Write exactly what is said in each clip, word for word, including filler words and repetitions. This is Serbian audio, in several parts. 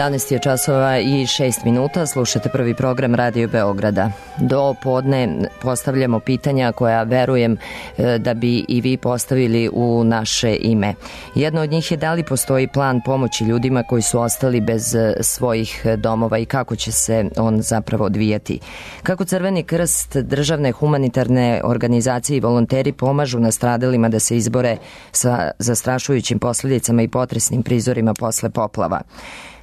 jedanaest je časova i šest minuta, slušate prvi program Radio Beograda. Do podne postavljamo pitanja koja verujem da bi i vi postavili u naše ime. Jedno od njih je da li postoji plan pomoći ljudima koji su ostali bez svojih domova i kako će se on zapravo odvijati. Kako Crveni krst, državne humanitarne organizacije i volonteri pomažu nastradalima da se izbore sa zastrašujućim posljedicama i potresnim prizorima posle poplava.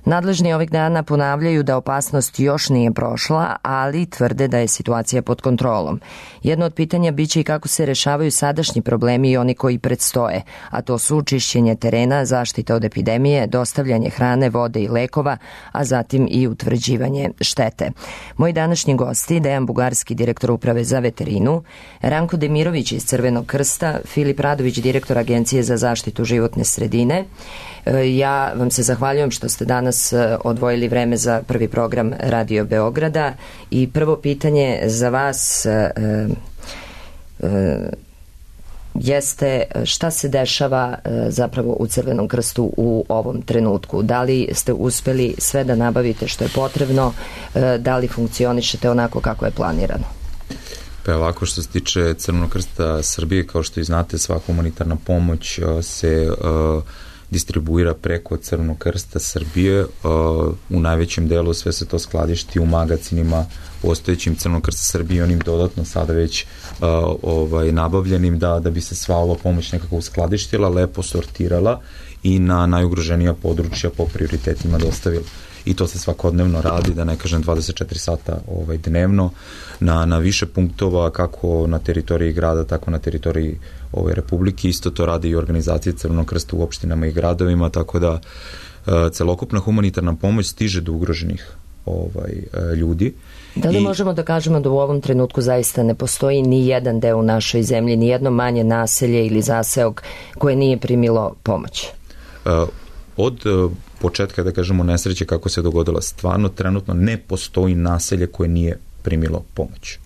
Nadležni ovih dana ponavljaju da opasnost još nije prošla, ali tvrde da je situacija pod kontrolom. Jedno od pitanja biće i kako se rešavaju sadašnji problemi i oni koji predstoje, a to su čišćenje terena, zaštita od epidemije, dostavljanje hrane, vode i lekova, a zatim i utvrđivanje štete. Moji današnji gosti, Dejan Bugarski, direktor uprave za veterinu, Ranko Demirović iz Crvenog krsta, Filip Radović, direktor Agencije za zaštitu životne sredine. Ja vam se zahvaljujem što ste danas odvojili vreme za prvi program Radio Beograda i prvo pitanje za vas e, e, jeste šta se dešava e, zapravo u Crvenom krstu u ovom trenutku. Da li ste uspeli sve da nabavite što je potrebno, e, da li funkcionišete onako kako je planirano? Pa ovako, što se tiče Crvenog krsta Srbije, kao što i znate, sva humanitarna pomoć se uh, distribuira preko Crvenog krsta Srbije. Uh, u najvećem delu sve se to skladišti u magacinima postojećim Crvenog krsta Srbije, onim dodatno sada već uh, ovaj, nabavljenim da, da bi se sva ova pomoć nekako uskladištila, lepo sortirala i na najugroženija područja po prioritetima dostavila. I to se svakodnevno radi, da ne kažem dvadeset četiri sata ovaj, dnevno, na, na više punktova, kako na teritoriji grada, tako na teritoriji ove Republike. Isto to radi i organizacije Crvenog krsta u opštinama i gradovima, tako da uh, celokupna humanitarna pomoć stiže do ugroženih ovaj, uh, ljudi. Da li I, možemo da kažemo da u ovom trenutku zaista ne postoji ni jedan deo u našoj zemlji, ni jedno manje naselje ili zaseok koje nije primilo pomoć? Uh, od uh, početka, da kažemo, nesreće kako se dogodila, stvarno trenutno ne postoji naselje koje nije primilo pomoć.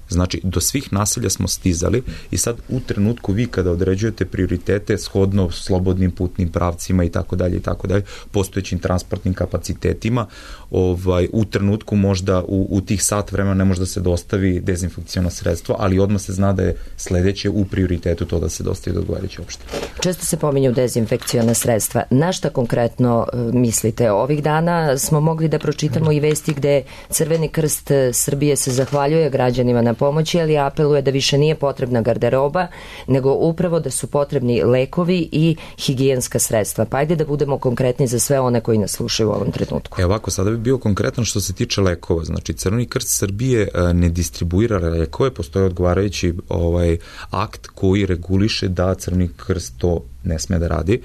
Znači, do svih naselja smo stizali i sad u trenutku vi kada određujete prioritete shodno slobodnim putnim pravcima i tako dalje i tako dalje, postojećim transportnim kapacitetima, ovaj, u trenutku možda u, u tih sat vremena ne može da se dostavi dezinfekciono sredstvo, ali odmah se zna da je sledeće u prioritetu to da se dostavi do odgovarajuće opštine. Često se pominju dezinfekciona sredstva. Na šta konkretno mislite? Ovih dana smo mogli da pročitamo i vesti gde Crveni krst Srbije se zahvaljuje građanima na pomoći, ali apeluje da više nije potrebna garderoba, nego upravo da su potrebni lekovi i higijenska sredstva. Pa ajde da budemo konkretni za sve one koji nas slušaju u ovom trenutku. E ovako, sada bi bio konkretan što se tiče lekova. Znači, Crveni krst Srbije ne distribuira lekove, postoji odgovarajući ovaj, akt koji reguliše da Crveni krst to ne sme da radi.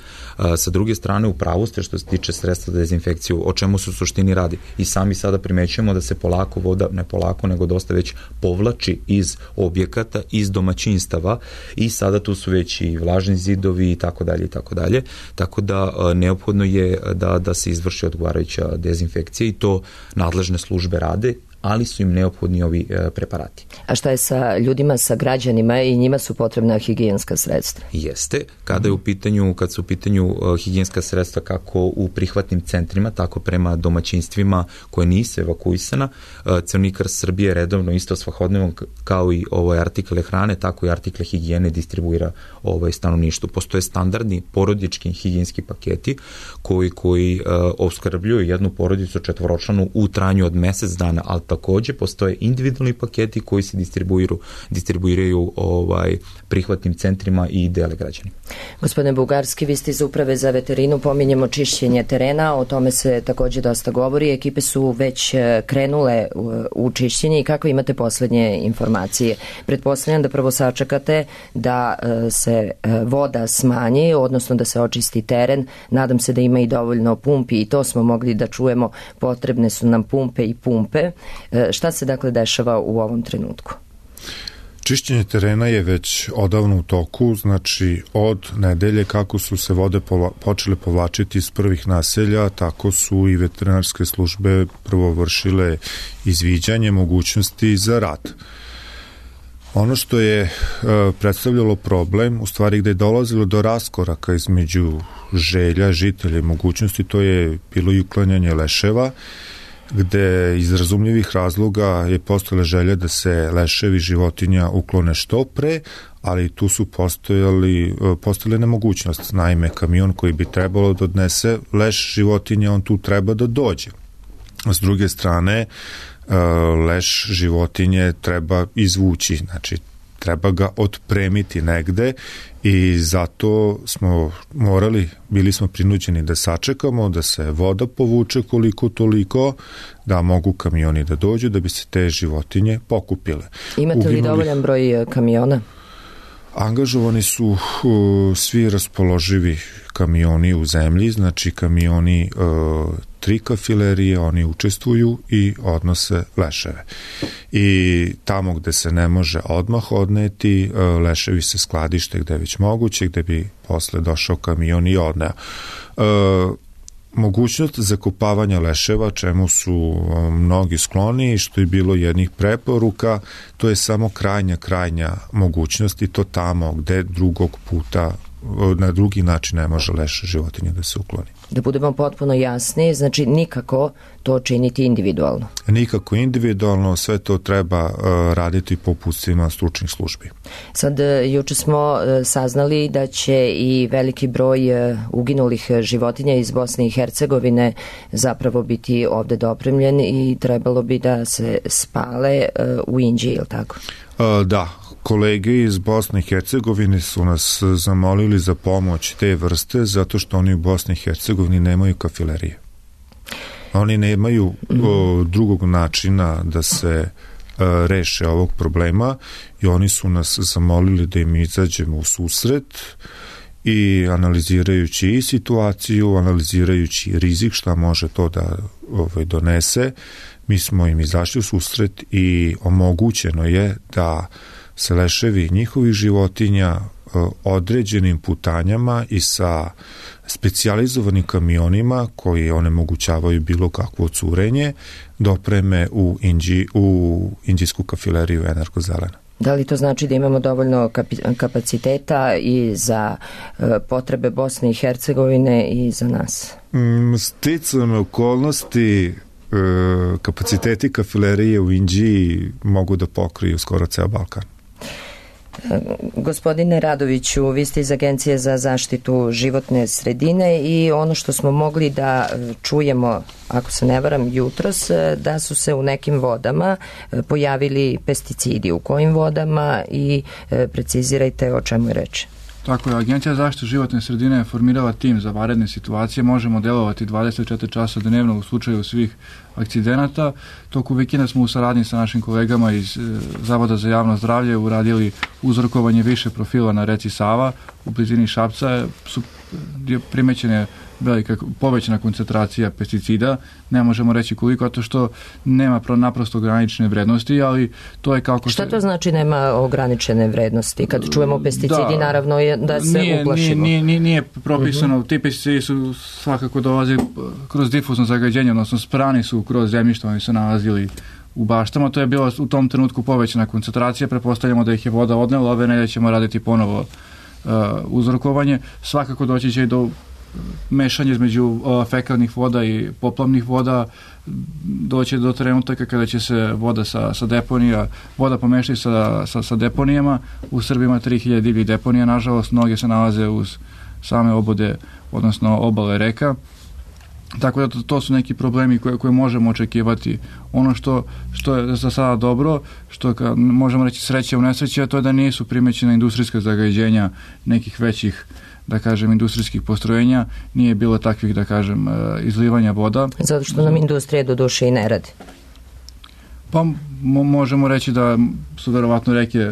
Sa druge strane, u pravu ste što se tiče sredstva za dezinfekciju, o čemu se u suštini radi. I sami sada primećujemo da se polako voda, ne polako, nego dosta već povlači iz objekata, iz domaćinstava i sada tu su već i vlažni zidovi i tako dalje i tako dalje. Tako da neophodno je da, da se izvrši odgovarajuća dezinfekcija i to nadležne službe rade, ali su im neophodni ovi e, preparati. A šta je sa ljudima, sa građanima i njima su potrebna higijenska sredstva? Jeste. Kada je u pitanju, kad su u pitanju uh, higijenska sredstva kako u prihvatnim centrima, tako prema domaćinstvima koje nisu evakuisana, uh, Crveni krst Srbije redovno isto svakodnevno kao i ovaj artikle hrane, tako i artikle higijene distribuira ovaj stanovništvu. Postoje standardni porodički higijenski paketi koji, koji uh, opskrbljuju jednu porodicu četvoročlanu u trajanju od mesec dana, ali takođe postoje individualni paketi koji se distribuiraju, distribuiraju ovaj, prihvatnim centrima i dele građani. Gospodine Bugarski, vi ste iz uprave za veterinu, pominjemo čišćenje terena, o tome se takođe dosta govori, ekipe su već krenule u čišćenje i kako imate poslednje informacije? Pretpostavljam da prvo sačekate da se voda smanji, odnosno da se očisti teren, nadam se da ima i dovoljno pumpi i to smo mogli da čujemo, potrebne su nam pumpe i pumpe. Šta se dakle dešava u ovom trenutku? Čišćenje terena je već odavno u toku, znači od nedelje kako su se vode povla, počele povlačiti iz prvih naselja, tako su i veterinarske službe prvo vršile izviđanje mogućnosti za rad. Ono što je e, predstavljalo problem, u stvari gde je dolazilo do raskoraka između želja, žitelja i mogućnosti, to je bilo i uklanjanje leševa, gde iz razumljivih razloga je postojala želja da se leševi životinja uklone što pre, ali tu su postojali, postojale nemogućnost. Naime, kamion koji bi trebalo da odnese leš životinja, on tu treba da dođe. S druge strane, leš životinje treba izvući, znači treba ga otpremiti negde i zato smo morali, bili smo prinuđeni da sačekamo, da se voda povuče koliko toliko, da mogu kamioni da dođu, da bi se te životinje pokupile. Imate li Uginuli... dovoljan broj kamiona? Angažovani su uh, svi raspoloživi kamioni u zemlji, znači kamioni uh, tri kafilerije, oni učestvuju i odnose leševe. I tamo gde se ne može odmah odneti, uh, leševi se skladište gde je već moguće, gde bi posle došao kamion i odneo. Uh, Mogućnost zakopavanja leševa, čemu su mnogi skloni i što je bilo jednih preporuka, to je samo krajnja, krajnja mogućnost i to tamo gde drugog puta, na drugi način ne može leš životinje da se ukloni. Da budemo potpuno jasni, znači nikako to činiti individualno. Nikako individualno, sve to treba uh, raditi po uputstvima stručnih službi. Sad, juče smo uh, saznali da će i veliki broj uh, uginulih životinja iz Bosne i Hercegovine zapravo biti ovde dopremljen i trebalo bi da se spale uh, u Inđiji, je li tako? Uh, da, kolege iz Bosne i Hercegovine su nas zamolili za pomoć te vrste zato što oni u Bosni i Hercegovini nemaju kafilerije. Oni nemaju o, drugog načina da se o, reše ovog problema i oni su nas zamolili da im izađemo u susret i analizirajući i situaciju, analizirajući rizik šta može to da ovaj, donese, mi smo im izašli u susret i omogućeno je da se leševi njihovih životinja određenim putanjama i sa specijalizovanim kamionima koji onemogućavaju bilo kakvo curenje dopreme u, Inđi, u Inđijsku kafileriju Energozelena. Da li to znači da imamo dovoljno kapaciteta i za potrebe Bosne i Hercegovine i za nas? Sticam okolnosti, kapaciteti kafilerije u Inđiji mogu da pokriju skoro ceo Balkan. Gospodine Radoviću, vi ste iz Agencije za zaštitu životne sredine i ono što smo mogli da čujemo, ako se ne varam, jutros, da su se u nekim vodama pojavili pesticidi. U kojim vodama i precizirajte o čemu je reč. Tako je, Agencija za zaštitu životne sredine je formirala tim za vanredne situacije. Možemo delovati dvadeset četiri časa dnevno u slučaju svih akcidenata. Toku vikenda smo u saradnji sa našim kolegama iz Zavoda za javno zdravlje uradili uzorkovanje više profila na reci Sava. U blizini Šapca su primećene velika povećana koncentracija pesticida, ne možemo reći koliko, to što nema naprosto ograničene vrednosti, ali to je kako... Šta to znači nema ograničene vrednosti? Kad čujemo pesticidi, da, naravno je da se nije, uplašimo. Nije, nije, nije propisano, uh-huh. Ti pesticidi su svakako dolaze kroz difuzno zagađenje, odnosno sprani su kroz zemljište, oni su nalazili u baštama, to je bila u tom trenutku povećana koncentracija, prepostavljamo da ih je voda odnela, ove nedelje ćemo raditi ponovo uh, uzrokovanje, svakako doći će i do mešanje između uh, fekalnih voda i poplavnih voda, doće do trenutaka kada će se voda sa, sa deponija, voda pomešati sa, sa, sa deponijama. U Srbiji ima tri hiljade divljih deponija, nažalost, mnoge se nalaze uz same obode, odnosno obale reka. Tako da to, to su neki problemi koje, koje možemo očekivati. Ono što, što je za sada dobro, što ka, možemo reći sreće u nesreće, to je da nisu primećena industrijska zagađenja nekih većih, da kažem, industrijskih postrojenja, nije bilo takvih, da kažem, izlivanja voda. Zato što nam industrija do duše i ne radi. Pa mo- možemo reći da su verovatno reke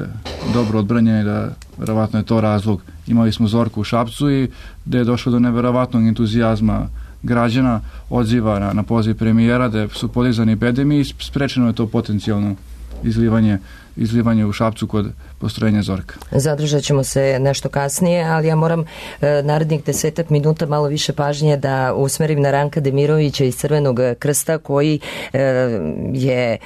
dobro odbranjene, da verovatno je to razlog. Imali smo Zorku u Šapcu i da je došlo do neverovatnog entuzijazma građana, odziva na, na poziv premijera, da su podizani bedemi i sprečeno je to potencijalno izlivanje, izlivanje u Šapcu kod postrojenja Zorka. Zadržat ćemo se nešto kasnije, ali ja moram e, narednih desetak minuta malo više pažnje da usmerim na Ranka Demirovića iz Crvenog krsta, koji e, je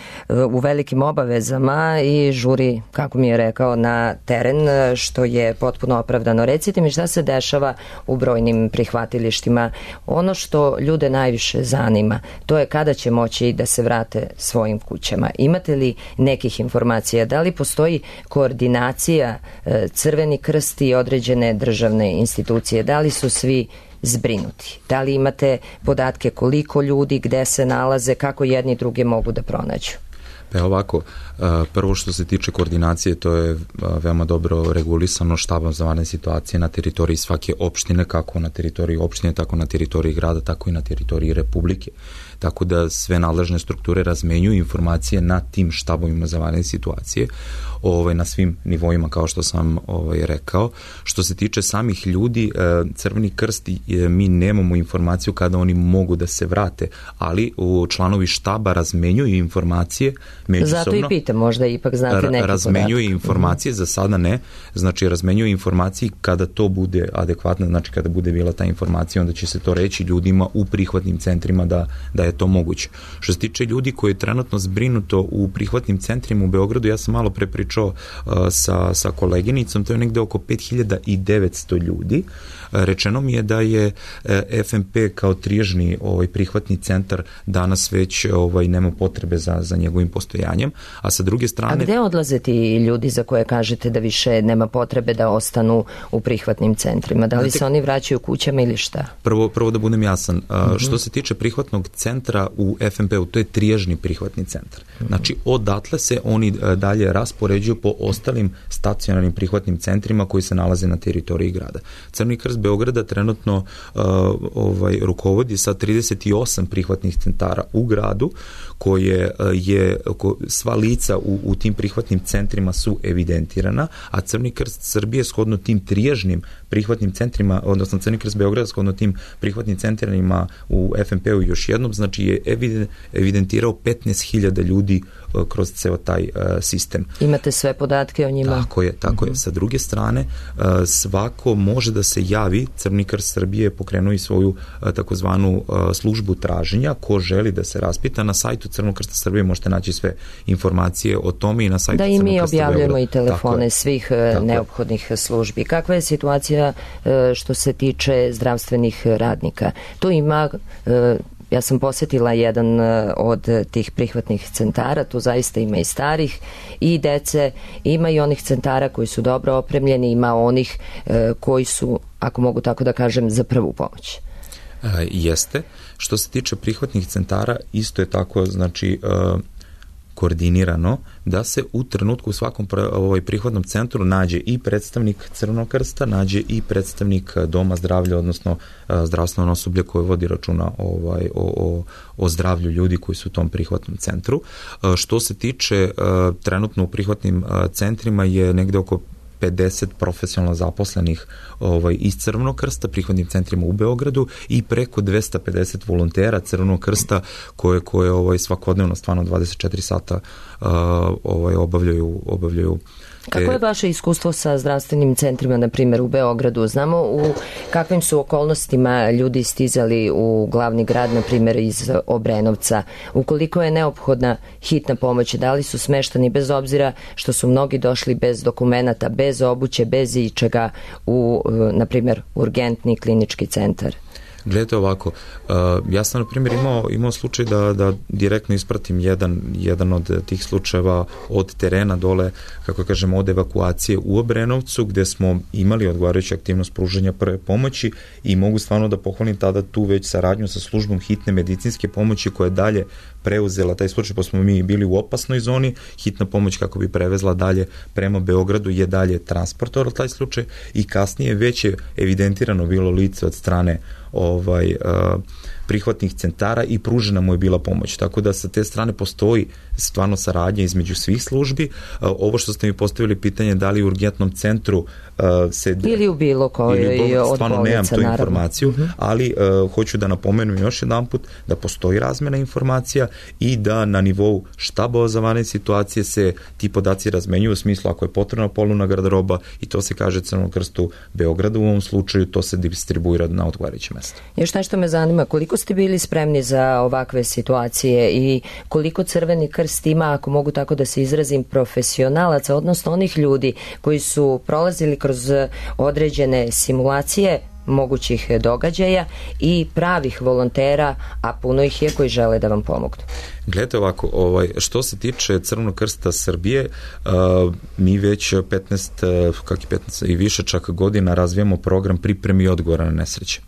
u velikim obavezama i žuri, kako mi je rekao, na teren, što je potpuno opravdano. Recite mi šta se dešava u brojnim prihvatilištima. Ono što ljude najviše zanima, to je kada će moći da se vrate svojim kućama. Imate li nekih informacija? Da li postoji koordinacija Crveni krst i određene državne institucije? Da li su svi zbrinuti? Da li imate podatke koliko ljudi, gde se nalaze, kako jedni druge mogu da pronađu? Pa ovako, prvo što se tiče koordinacije, to je veoma dobro regulisano štabom za vanredne situacije na teritoriji svake opštine, kako na teritoriji opštine, tako na teritoriji grada, tako i na teritoriji Republike. Tako da sve nadležne strukture razmenjuju informacije na tim štabovima za vanredne situacije, ovaj, na svim nivoima, kao što sam ovaj, rekao. Što se tiče samih ljudi, Crveni krst, mi nemamo informaciju kada oni mogu da se vrate, ali u članovi štaba razmenjuju informacije međusobno. Zato i pitam, možda ipak znate neki podatak. Razmenjuju informacije, za sada ne, znači razmenjuju informacije kada to bude adekvatno, znači kada bude bila ta informacija, onda će se to reći ljudima u prihvatnim centrima da, da je to moguće. Što se tiče ljudi koji je trenutno zbrinuto u prihvatnim centrima u Beogradu, ja sam malo pre pričao uh, sa, sa koleginicom, to je negde oko pet hiljada devetsto ljudi. Uh, rečeno mi je da je uh, F M P kao triježni ovaj, prihvatni centar danas već ovaj, nema potrebe za, za njegovim postojanjem, a sa druge strane... A gde odlaze ti ljudi za koje kažete da više nema potrebe da ostanu u prihvatnim centrima? Da li se oni vraćaju kućama ili šta? Prvo, prvo da budem jasan, uh, mm-hmm. što se tiče prihvatnog centra u F M P-u, to je triježni prihvatni centar. Znači, odatle se oni dalje raspoređuju po ostalim stacionarnim prihvatnim centrima koji se nalaze na teritoriji grada. Crveni krst Beograda trenutno uh, ovaj, rukovodi sa trideset osam prihvatnih centara u gradu, koje je, ko, sva lica u, u tim prihvatnim centrima su evidentirana, a Crveni krst Srbije shodno tim triježnim prihvatnim centrima, odnosno Crveni krst Beograda shodno tim prihvatnim centrima u F M P-u još jednom, znači je evidentirao petnaest hiljada ljudi kroz ceo taj uh, sistem. Imate sve podatke o njima? Tako je, tako uh-huh. je. Sa druge strane, uh, svako može da se javi, Crveni krst Srbije pokrenuo i svoju uh, takozvanu uh, službu traženja, ko želi da se raspita. Na sajtu Crvenog krsta Srbije možete naći sve informacije o tome i na sajtu Crvenog krsta Beograda. Da i mi objavljujemo i telefone svih uh, neophodnih službi. Kakva je situacija uh, što se tiče zdravstvenih radnika? Tu ima... Uh, Ja sam posjetila jedan od tih prihvatnih centara, tu zaista ima i starih i dece, ima i onih centara koji su dobro opremljeni, ima onih e, koji su, ako mogu tako da kažem, za prvu pomoć. E, jeste. Što se tiče prihvatnih centara, isto je tako, znači... E, koordinirano da se u trenutku u svakom ovaj, prihvatnom centru nađe i predstavnik Crvenog krsta, nađe i predstavnik Doma zdravlja, odnosno zdravstveno osoblje koje vodi računa ovaj, o, o, o zdravlju ljudi koji su u tom prihvatnom centru. Što se tiče trenutno u prihvatnim centrima je negde oko pedeset profesionalno zaposlenih ovaj, iz Crvenog krsta, prihvatnim centrima u Beogradu i preko dvesta pedeset volontera Crvenog krsta koje, koje ovaj, svakodnevno stvarno dvadeset četiri sata uh, ovaj, obavljaju, obavljaju Kako je vaše iskustvo sa zdravstvenim centrima, na primjer u Beogradu? Znamo u kakvim su okolnostima ljudi stizali u glavni grad, na primjer iz Obrenovca. Ukoliko je neophodna hitna pomoć, da li su smeštani bez obzira što su mnogi došli bez dokumenata, bez obuće, bez ičega u, na primjer, urgentni klinički centar? Gledajte ovako, uh, ja sam na primjer imao, imao slučaj da, da direktno ispratim jedan, jedan od tih slučajeva od terena dole, kako kažemo, od evakuacije u Obrenovcu, gde smo imali odgovarajuću aktivnost pružanja prve pomoći i mogu stvarno da pohvalim tada tu već saradnju sa službom hitne medicinske pomoći koja je dalje preuzela taj slučaj, pa smo mi bili u opasnoj zoni, hitna pomoć kako bi prevezla dalje prema Beogradu je dalje transportovala taj slučaj i kasnije već je evidentirano bilo lice od strane ovaj, prihvatnih centara i pružena mu je bila pomoć. Tako da sa te strane postoji stvarno saradnja između svih službi. Ovo što ste mi postavili pitanje da li u urgentnom centru se... Ili u bilo kojoj od stvarno bolnica, nemam tu naravno. informaciju, uh-huh. ali uh, hoću da napomenem još jedan put da postoji razmena informacija i da na nivou štaba za vanredne situacije se ti podaci razmenjuju u smislu ako je potrebna polovna garderoba i to se kaže Crvenom krstu Beograda u ovom slučaju, to se distribuira na odgovarajuće mesto. Još nešto me zanima, koliko ste bili spremni za ovakve situacije i koliko Crveni krst ima, ako mogu tako da se izrazim, profesionalaca, odnosno onih ljudi koji su prolazili kroz određene simulacije mogućih događaja i pravih volontera, a puno ih je koji žele da vam pomognu. Gledajte ovako, ovaj, što se tiče Crvenog krsta Srbije, uh, mi već petnaest, kak je petnaest i više čak godina razvijamo program pripremi i odgovora na nesreće.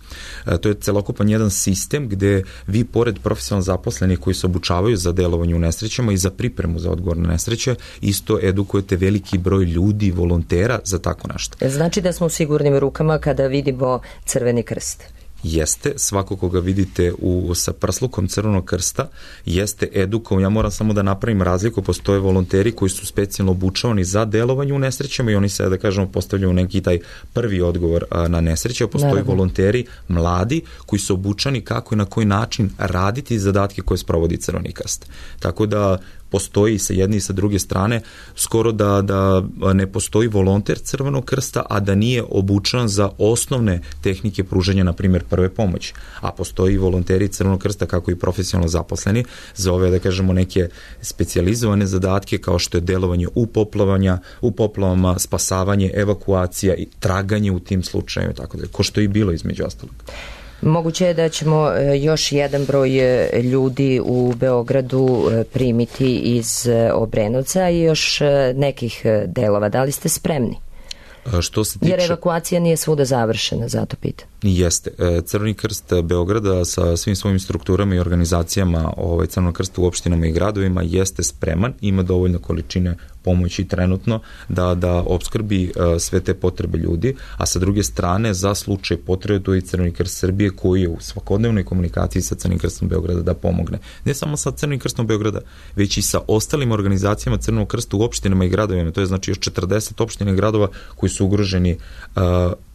Uh, to je celokupan jedan sistem gde vi pored profesionalno zaposlenih koji se obučavaju za delovanje u nesrećama i za pripremu za odgovor na nesreće, isto edukujete veliki broj ljudi, volontera za tako nešto. Znači da smo u sigurnim rukama kada vidimo Crveni krst. Jeste, svako koga vidite u, sa prslukom Crvenog krsta jeste edukovan. Ja moram samo da napravim razliku, postoje volonteri koji su specijalno obučavani za delovanje u nesrećama i oni se, da kažemo, postavljaju neki taj prvi odgovor a, na nesreće, a postoje Naravno. volonteri mladi koji su obučani kako i na koji način raditi zadatke koje sprovodi Crveni krst. Tako da postoji sa jedne i sa druge strane, skoro da, da ne postoji volonter Crvenog krsta, a da nije obučan za osnovne tehnike pružanja, na primjer, prve pomoći. A postoji volonteri Crvenog krsta, kako i profesionalno zaposleni, za ove, da kažemo, neke specijalizovane zadatke, kao što je delovanje u poplavanja, u poplavama, spasavanje, evakuacija i traganje u tim slučajima, tako da, ko što je i bilo između ostalog. Moguće je da ćemo još jedan broj ljudi u Beogradu primiti iz Obrenovca i još nekih delova. Da li ste spremni? Što se tiče... Jer evakuacija nije svuda završena, zato pitam. Jeste. Crveni krst Beograda sa svim svojim strukturama i organizacijama ovaj, Crvenog krsta u opštinama i gradovima jeste spreman, ima dovoljno količine pomoći trenutno da, da opskrbi uh, sve te potrebe ljudi, a sa druge strane za slučaj potrebe tu je Crveni krst Srbije koji je u svakodnevnoj komunikaciji sa Crvenim krstom Beograda da pomogne. Ne samo sa Crvenim krstom Beograda, već i sa ostalim organizacijama Crvenog krsta u opštinama i gradovima. To je znači još četrdeset opština i gradova koji su ugroženi uh,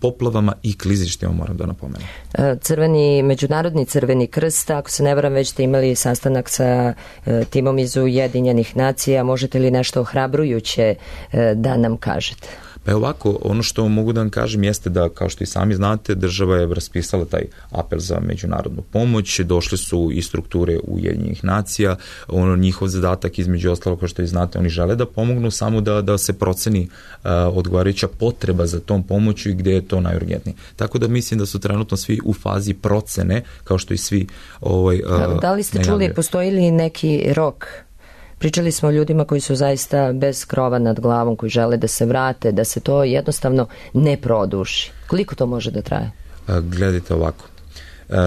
poplavama i klizištima, moram da napomenem. Crveni, Međunarodni Crveni krst, ako se ne varam, već ste imali sastanak sa uh, timom iz Ujedinjenih nacija, možete li nešto ohrabrujuće uh, da nam kažete? Pa ovako, ono što mogu da vam kažem jeste da, kao što i sami znate, država je raspisala taj apel za međunarodnu pomoć, došle su i strukture Ujedinjenih nacija, ono, njihov zadatak između ostalo, kao što i znate, oni žele da pomognu samo da, da se proceni uh, odgovarajuća potreba za tom pomoću i gde je to najurgentnije. Tako da mislim da su trenutno svi u fazi procene, kao što i svi ovaj, uh, da li ste najavljaju. čuli, postoji li neki rok? Pričali smo o ljudima koji su zaista bez krova nad glavom, koji žele da se vrate, da se to jednostavno ne produši. Koliko to može da traje? Gledajte ovako.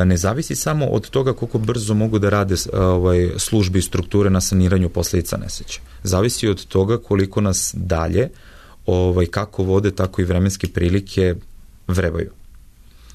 Ne zavisi samo od toga koliko brzo mogu da rade ovaj, službe i strukture na saniranju posljedica nesreće. Zavisi od toga koliko nas dalje, ovaj, kako vode, tako i vremenske prilike vrebaju.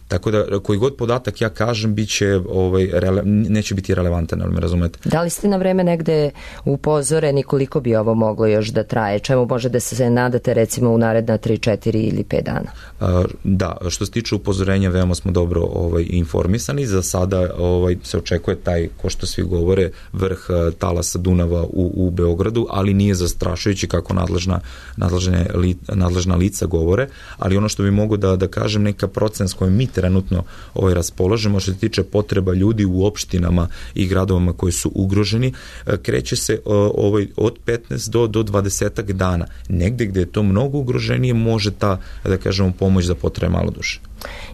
Tako da, koji god podatak ja kažem, biće, ovaj, rele, neće biti relevantan, ali me razumete. Da li ste na vreme negde upozoreni koliko bi ovo moglo još da traje? Čemu može da se nadate recimo u naredna tri, četiri ili pet dana? A, da, što se tiče upozorenja, veoma smo dobro ovaj, informisani. Za sada ovaj, se očekuje taj, ko što svi govore, vrh talasa Dunava u, u Beogradu, ali nije zastrašujući kako nadležna, nadležne, li, nadležna lica govore, ali ono što bi mogu da, da kažem, neka procent s kojim mi trenutno ovaj, raspolažemo što se tiče potreba ljudi u opštinama i gradovama koji su ugroženi, kreće se ovaj, od petnaest do, do dvadeset dana. Negde gde je to mnogo ugroženije može ta, da kažemo, pomoć da potraje malo duže.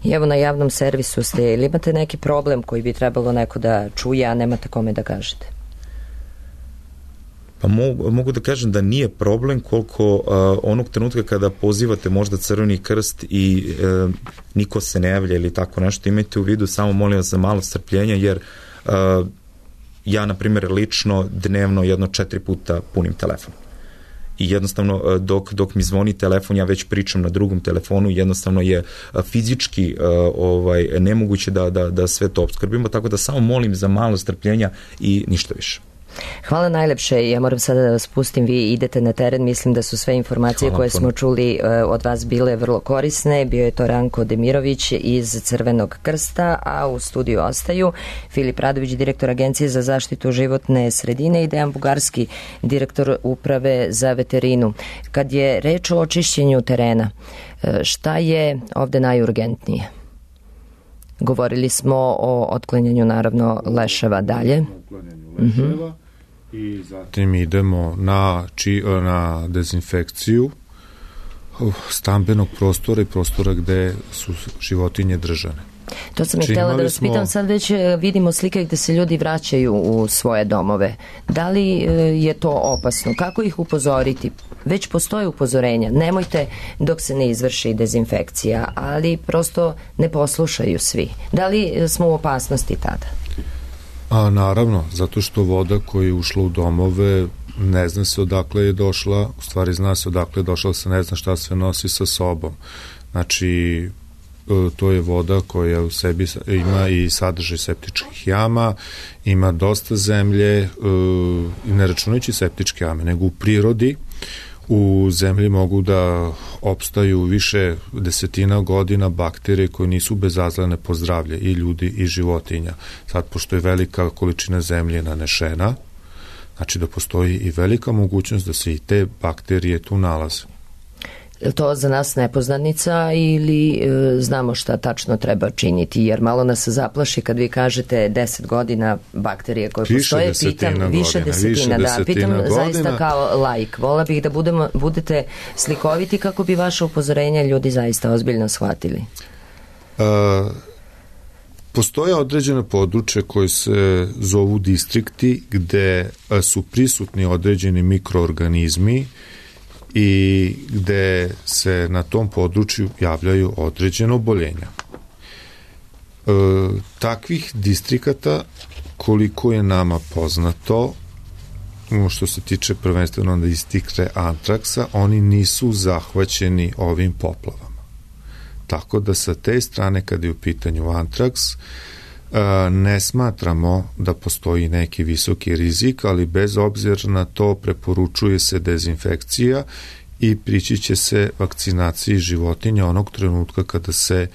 I evo na javnom servisu ste, ili imate neki problem koji bi trebalo neko da čuje, a nemate kome da kažete? Pa mogu, mogu da kažem da nije problem koliko uh, onog trenutka kada pozivate možda Crveni krst i uh, niko se ne javlja ili tako nešto, imajte u vidu, samo molim vas za malo strpljenja, jer uh, ja, na primjer, lično dnevno jedno četiri puta punim telefon. i jednostavno dok, dok mi zvoni telefon, ja već pričam na drugom telefonu, jednostavno je fizički ovaj, nemoguće da, da, da sve to opskrbimo, tako da samo molim za malo strpljenja i ništa više. Hvala najlepše. Ja moram sada da vas pustim, vi idete na teren, mislim da su sve informacije Hvala koje puno. smo čuli od vas bile vrlo korisne. Bio je to Ranko Demirović iz Crvenog krsta, a u studiju ostaju Filip Radović, direktor Agencije za zaštitu životne sredine, i Dejan Bugarski, direktor Uprave za veterinu. Kad je reč o očišćenju terena, šta je ovde najurgentnije? Govorili smo o otklanjanju naravno leševa dalje. Leševa, i zatim idemo na, či, na dezinfekciju stambenog prostora i prostora gde su životinje držane. To sam je htjela da vas pitam, sad već vidimo slike gde se ljudi vraćaju u svoje domove. Da li je to opasno? Kako ih upozoriti? Već postoje upozorenja. Nemojte dok se ne izvrši dezinfekcija, ali prosto ne poslušaju svi. Da li smo u opasnosti tada? A naravno, zato što voda koja je ušla u domove ne zna se odakle je došla, u stvari zna se odakle je došla, se ne zna šta sve nosi sa sobom. Znači, to je voda koja u sebi ima i sadržaj septičkih jama, ima dosta zemlje, i ne računajući septičke jame, nego u prirodi u zemlji mogu da opstaju više desetina godina bakterije koje nisu bezazlene po zdravlje i ljudi i životinja. Sad, pošto je velika količina zemlje nanešena, znači da postoji i velika mogućnost da se i te bakterije tu nalaze. Je to za nas nepoznanica ili e, znamo šta tačno treba činiti? Jer malo nas zaplaši kad vi kažete deset godina bakterije koje više postoje. Desetina pitam, godina, više desetina, više da. desetina Pitam godina. Zaista kao laik. Vola bih da budemo, budete slikoviti kako bi vaše upozorenja ljudi zaista ozbiljno shvatili. A, postoje određene područje koje se zovu distrikti gde su prisutni određeni mikroorganizmi i gde se na tom području javljaju određene oboljenja. E, takvih distrikata, koliko je nama poznato, što se tiče prvenstveno distrikta antraksa, oni nisu zahvaćeni ovim poplavama. Tako da sa te strane, kada je u pitanju antraks, ne smatramo da postoji neki visoki rizik, ali bez obzira na to preporučuje se dezinfekcija i prići će se vakcinaciji životinja onog trenutka kada se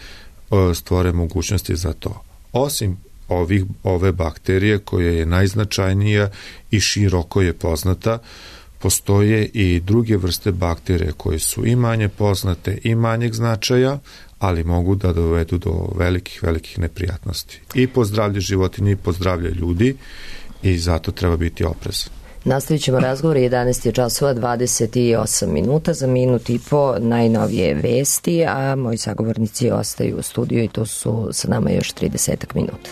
stvore mogućnosti za to. Osim ovih, ove bakterije koja je najznačajnija i široko je poznata, postoje i druge vrste bakterije koje su i manje poznate i manjeg značaja, ali mogu da dovedu do velikih, velikih neprijatnosti. I po zdravlje životinje i po zdravlje ljudi, i zato treba biti oprezan. Nastavit ćemo razgovor, jedanaest je časova dvadeset osam minuta, za minut i po najnovije vesti, a moji sagovornici ostaju u studiju i to su sa nama još trideset minuta.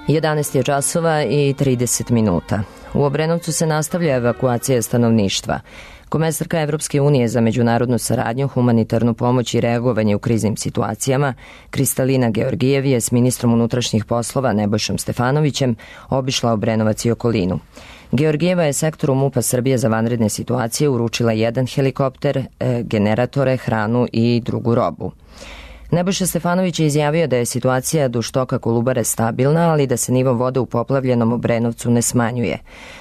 jedanaest je časova i trideset minuta. U Obrenovcu se nastavlja evakuacija stanovništva. Komesarka Evropske unije za međunarodnu saradnju, humanitarnu pomoć i reagovanje u kriznim situacijama, Kristalina Georgijev je s ministrom unutrašnjih poslova Nebojšom Stefanovićem obišla Obrenovac i okolinu. Georgijeva je sektoru MUP-a Srbije za vanredne situacije uručila jedan helikopter, generatore, hranu i drugu robu. Nebojša Stefanović je izjavio da je situacija duž toka Kolubare stabilna, ali da se nivo vode u poplavljenom Obrenovcu ne smanjuje.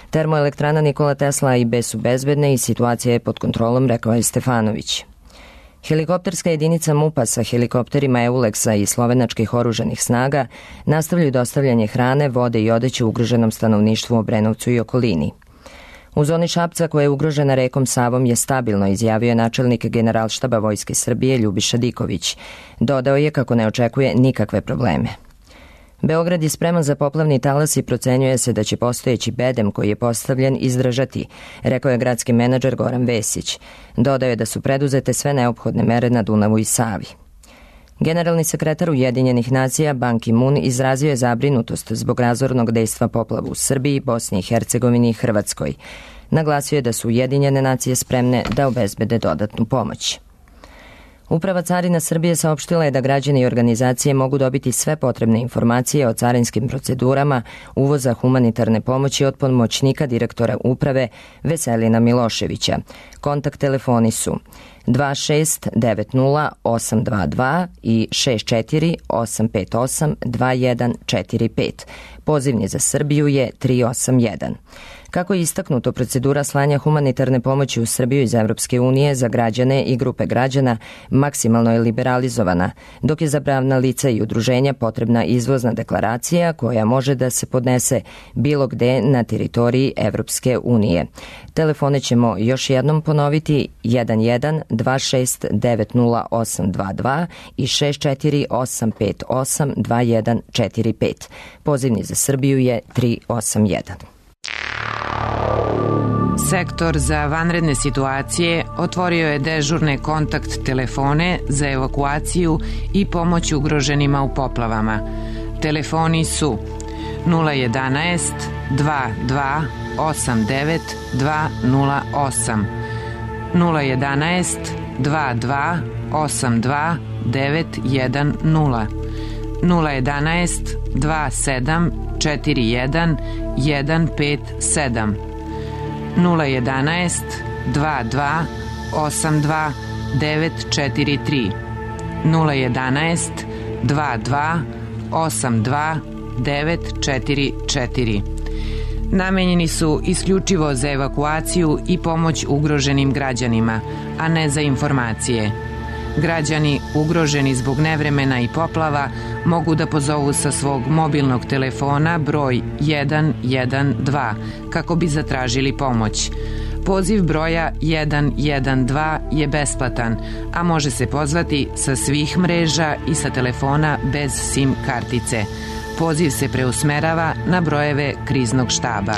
Termoelektrana Nikola Tesla i B su bezbedne i situacija je pod kontrolom, rekao je Stefanović. Helikopterska jedinica MUP-a sa helikopterima Euleksa i slovenačkih oružanih snaga nastavljaju dostavljanje hrane, vode i odeće ugroženom stanovništvu u Obrenovcu i okolini. U zoni Šapca, koja je ugrožena rekom Savom, je stabilno, izjavio načelnik Generalštaba Vojske Srbije Ljubiša Diković. Dodao je kako ne očekuje nikakve probleme. Beograd je spreman za poplavni talas i procenjuje se da će postojeći bedem koji je postavljen izdržati, rekao je gradski menadžer Goran Vesić. Dodao je da su preduzete sve neophodne mere na Dunavu i Savi. Generalni sekretar Ujedinjenih nacija Ban Ki-moon izrazio je zabrinutost zbog razornog dejstva poplava u Srbiji, Bosni i Hercegovini i Hrvatskoj. Naglasio je da su Ujedinjene nacije spremne da obezbede dodatnu pomoć. Uprava Carina Srbije saopštila je da građani i organizacije mogu dobiti sve potrebne informacije o carinskim procedurama uvoza humanitarne pomoći od pomoćnika direktora uprave Veselina Miloševića. Kontakt telefoni su dva šest devet nula osam dva dva i šest četiri osam pet osam dva jedan četiri pet. Pozivni za Srbiju je tri osam jedan. Kako je istaknuto, procedura slanja humanitarne pomoći u Srbiju iz Evropske unije za građane i grupe građana maksimalno je liberalizovana, dok je za pravna lica i udruženja potrebna izvozna deklaracija koja može da se podnese bilo gde na teritoriji Evropske unije. Telefone ćemo još jednom ponoviti jedan jedan dva šest devet nula osam dva dva i šest četiri osam pet osam dva jedan četiri pet. Pozivni za Srbiju je tri osam jedan. Sektor za vanredne situacije otvorio je dežurne kontakt telefone za evakuaciju i pomoć ugroženima u poplavama. Telefoni su nula jedanaest dva dva osam devet dva nula osam, nula jedanaest dva dva osam dva devet jedan nula, nula jedanaest dva sedam četiri jedan jedan pet sedam, nula jedanaest dva dva osam dva devet četiri tri, nula jedanaest dva dva osam dva devet četiri četiri. Namenjeni su isključivo za evakuaciju i pomoć ugroženim građanima, a ne za informacije. Građani ugroženi zbog nevremena i poplava mogu da pozovu sa svog mobilnog telefona broj jedan jedan dva kako bi zatražili pomoć. Poziv broja jedan jedan dva je besplatan, a može se pozvati sa svih mreža i sa telefona bez SIM kartice. Poziv se preusmerava na brojeve kriznog štaba.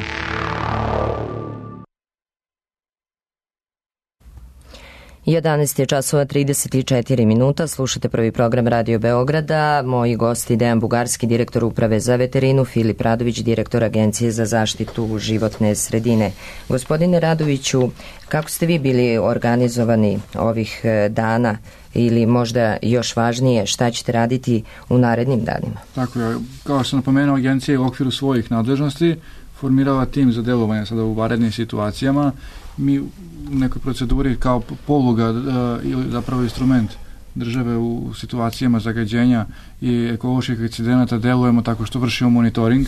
jedanaest je časova trideset četiri minuta, slušate prvi program Radio Beograda. Moji gosti Dejan Bugarski, direktor Uprave za veterinu, Filip Radović, direktor Agencije za zaštitu životne sredine. Gospodine Radoviću, kako ste vi bili organizovani ovih dana ili možda još važnije, šta ćete raditi u narednim danima? Tako je, kao što sam napomenuo, agencija je u okviru svojih nadležnosti formirala tim za delovanje sada u vanrednim situacijama. Mi u nekoj proceduri kao poluga uh, ili zapravo instrument države u situacijama zagađenja i ekoloških incidenata delujemo tako što vršimo monitoring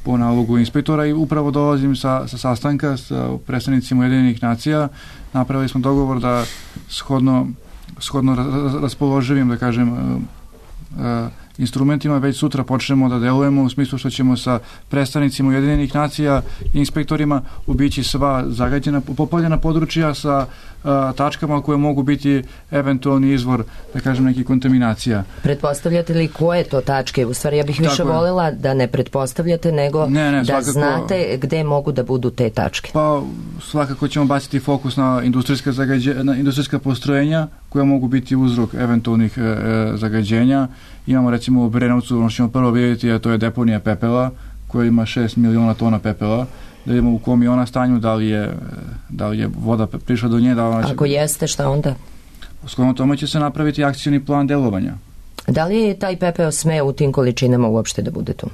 po nalogu inspektora i upravo dolazim sa, sa sastanka sa predstavnicima Ujedinjenih nacija. Napravili smo dogovor da shodno, shodno raspoloživim, da kažem, uh, uh, instrumentima već sutra počnemo da delujemo u smislu što ćemo sa predstavnicima Ujedinjenih nacija i inspektorima obići sva zagađena, poplavljena područja sa a, tačkama koje mogu biti eventualni izvor, da kažem, nekih kontaminacija. Pretpostavljate li koje to tačke? U stvari, ja bih više voljela da ne pretpostavljate, nego ne, ne, da svakako, znate gde mogu da budu te tačke. Pa svakako ćemo baciti fokus na industrijska, zagađe, na industrijska postrojenja koja mogu biti uzrok eventualnih e, zagađenja Imamo recimo u Obrenovcu, ono što ćemo prvo vidjeti, a to je deponija pepela, koja ima šest miliona tona pepela, da idemo u kom je ona stanju, da li je, da li je voda prišla do nje. Da ona će... Ako jeste, šta onda? Shodno tome će se napraviti akcioni plan delovanja. Da li taj pepeo sme u tim količinama uopšte da bude tu?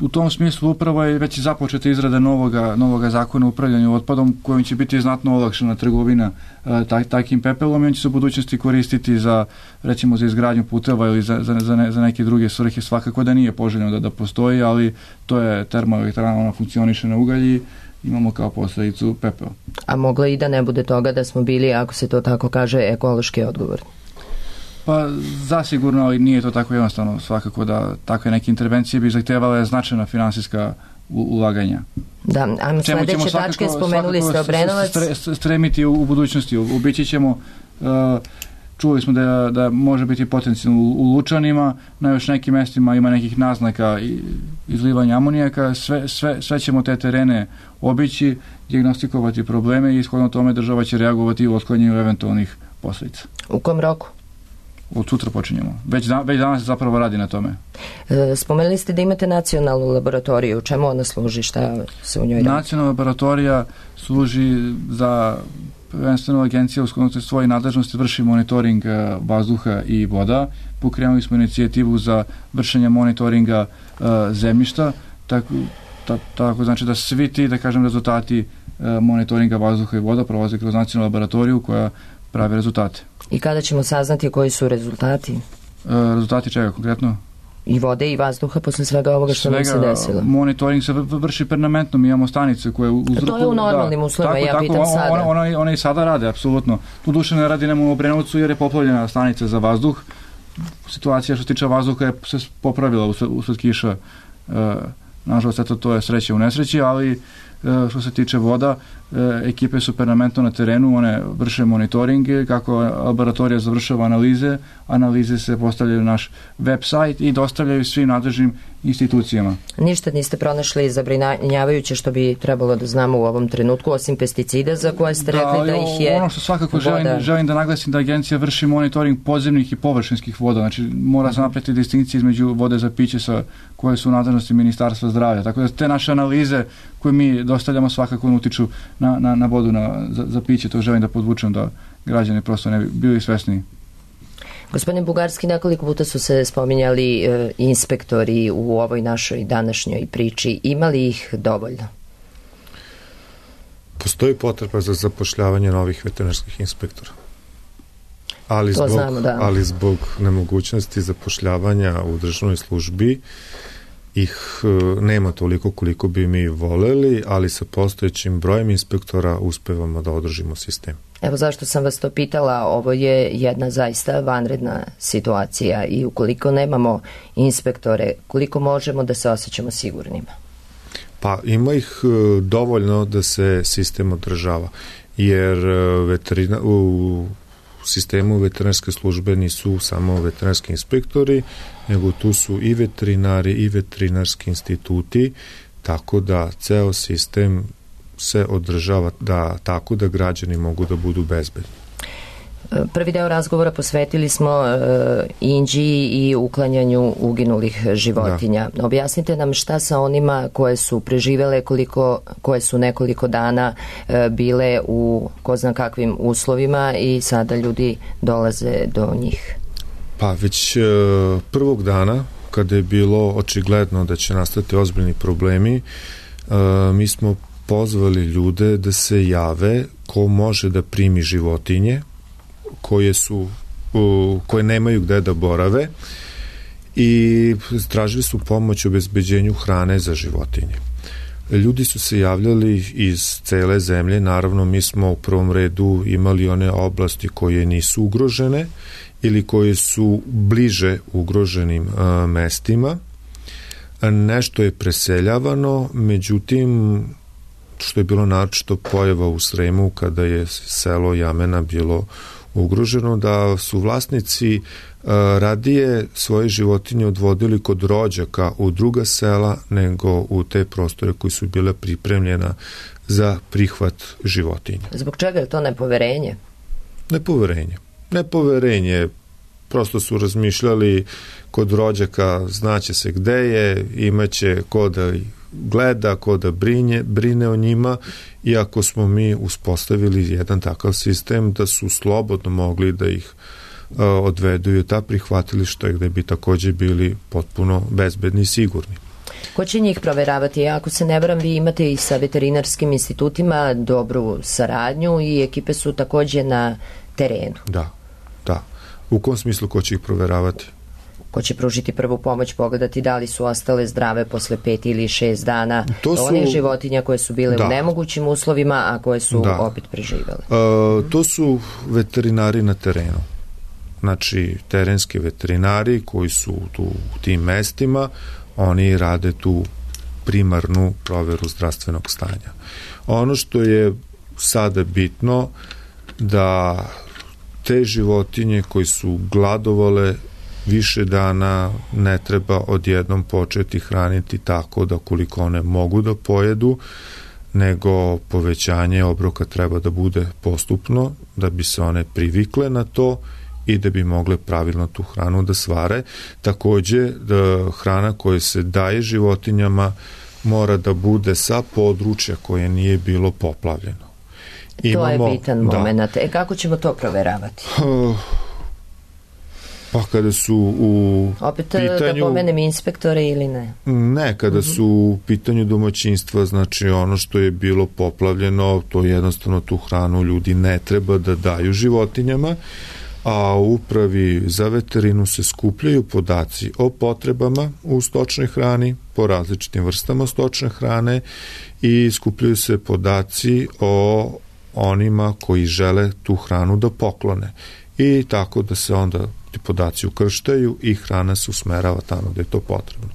U tom smislu upravo je već započeta izrada novoga, novoga zakona o upravljanju otpadom, kojim će biti znatno olakšana trgovina tak, takim pepelom i on će se u budućnosti koristiti za, recimo, za izgradnju puteva ili za, za, za, ne, za neke druge svrhe. Svakako da nije poželjno da, da postoji, ali to je termoelektrana, ona funkcioniše na ugalji, imamo kao posledicu pepeo. A moglo i da ne bude toga da smo bili, ako se to tako kaže, ekološki odgovorni? Pa zasigurno, ali nije to tako jednostavno. Svakako da takve neke intervencije bi zahtevale značajna finansijska ulaganja. Da, a sledeće tačke spomenuli ste Obrenovac. Stremiti u, u budućnosti. Ubići ćemo, uh, čuli smo da, da može biti potencijalno u, u Lučanima, na još nekim mestima ima nekih naznaka izlivanja amonijaka, sve, sve, sve ćemo te terene obići, dijagnostikovati probleme i ishodno tome država će reagovati u otklanjanju eventualnih posljedica. U kom roku? Od sutra počinjemo. Već, da, već danas se zapravo radi na tome. E, spomenuli ste da imate nacionalnu laboratoriju. Čemu ona služi? Šta se u njoj radi? Nacionalna laboratorija služi za prvenstveno agencija u sklonosti svoje nadležnosti vrši monitoring vazduha i voda. Pokrenuli smo inicijativu za vršenje monitoringa uh, zemljišta. Tako, ta, tako znači da svi ti, da kažem, rezultati uh, monitoringa vazduha i voda prolaze kroz nacionalnu laboratoriju koja pravi rezultate. I kada ćemo saznati koji su rezultati? E, rezultati čega konkretno? I vode i vazduha posle svega ovoga što nam se desilo. Monitoring se vrši permanentno, mi imamo stanice koje uzrokuju... To je u normalnim da, uslovima, tako, ja tako, pitam on, sada. One, one, one i sada rade, apsolutno. Tu duše ne radi nam u Obrenovcu jer je poplavljena stanica za vazduh. Situacija što se tiče vazduha je se popravila usled, usled kiša. E, nažalost, eto, to je sreće u nesreći, ali e, što se tiče voda, e, ekipe su permanentno na terenu, one vrše monitoringe, kako laboratorija završava analize, analize se postavljaju na naš web sajt i dostavljaju svim nadležnim institucijama. Ništa niste pronašli zabrinjavajuće što bi trebalo da znamo u ovom trenutku, osim pesticida za koje ste rekli da, da ih je... Ono što svakako želim, želim da naglasim da agencija vrši monitoring podzemnih i površinskih voda, znači mora se napraviti distinkcije između vode za piće sa koje su u nadležnosti Ministarstva zdravlja, tako da te naše analize koje mi dostavljamo svakako utiču na, na, na vodu na, za, za piće, to želim da podvučem da građani prosto ne bi bili svesni. Gospodine Bugarski, nekoliko puta su se spominjali e, inspektori u ovoj našoj današnjoj priči. Ima li ih dovoljno? Postoji potreba za zapošljavanje novih veterinarskih inspektora. Ali zbog, znamo, da. ali zbog nemogućnosti zapošljavanja u državnoj službi ih e, nema toliko koliko bi mi voleli, ali sa postojećim brojem inspektora uspevamo da održimo sistem. Evo zašto sam vas to pitala, ovo je jedna zaista vanredna situacija i ukoliko nemamo inspektore, koliko možemo da se osjećamo sigurnima? Pa ima ih dovoljno da se sistem održava, jer veterina, u sistemu veterinarske službe nisu samo veterinarski inspektori, nego tu su i veterinari i veterinarski instituti, tako da ceo sistem se održava da, tako da građani mogu da budu bezbedni. Prvi deo razgovora posvetili smo uh, Inđiji i uklanjanju uginulih životinja. Da. Objasnite nam šta sa onima koje su preživele, koliko, koje su nekoliko dana uh, bile u ko zna kakvim uslovima i sada ljudi dolaze do njih. Pa već uh, prvog dana, kada je bilo očigledno da će nastati ozbiljni problemi, uh, mi smo pozvali ljude da se jave ko može da primi životinje koje su koje nemaju gde da borave i tražili su pomoć u obezbeđenju hrane za životinje. Ljudi su se javljali iz cele zemlje, naravno mi smo u prvom redu imali one oblasti koje nisu ugrožene ili koje su bliže ugroženim a, mestima. Nešto je preseljavano, međutim što je bilo naročito pojava u Sremu kada je selo Jamena bilo ugroženo, da su vlasnici uh, radije svoje životinje odvodili kod rođaka u druga sela nego u te prostore koji su bile pripremljena za prihvat životinja. Zbog čega je to nepoverenje? Nepoverenje. Nepoverenje Prosto su razmišljali kod rođaka, znaće se gde je, imaće ko da gleda, ko da brinje, brine o njima, iako smo mi uspostavili jedan takav sistem da su slobodno mogli da ih a, odvedu u ta prihvatilišta gde bi takođe bili potpuno bezbedni i sigurni. Ko će njih proveravati? Ako se ne varam, vi imate i sa veterinarskim institutima dobru saradnju i ekipe su takođe na terenu. Da, da. U kom smislu ko će ih proveravati? Ko će pružiti prvu pomoć, pogledati da li su ostale zdrave posle pet ili šest dana to su, onih životinja koje su bile da. u nemogućim uslovima, a koje su da. opet preživele? E, to su veterinari na terenu. Znači, terenski veterinari koji su tu u tim mestima, oni rade tu primarnu proveru zdravstvenog stanja. Ono što je sada bitno da te životinje koji su gladovale više dana ne treba odjednom početi hraniti tako da koliko one mogu da pojedu, nego povećanje obroka treba da bude postupno, da bi se one privikle na to i da bi mogle pravilno tu hranu da svare. Takođe, da hrana koja se daje životinjama mora da bude sa područja koje nije bilo poplavljeno. Imamo, to je bitan da, moment. E, kako ćemo to proveravati? Uh, pa kada su u Opet pitanju... da pomenem inspektore ili ne? Ne, kada uh-huh. su u pitanju domaćinstva, znači ono što je bilo poplavljeno, to jednostavno tu hranu ljudi ne treba da daju životinjama, a u upravi za veterinu se skupljaju podaci o potrebama u stočnoj hrani, po različitim vrstama stočne hrane i skupljaju se podaci o onima koji žele tu hranu da poklone. I tako da se onda ti podaci ukrštaju i hrana se usmerava tamo gde je to potrebno.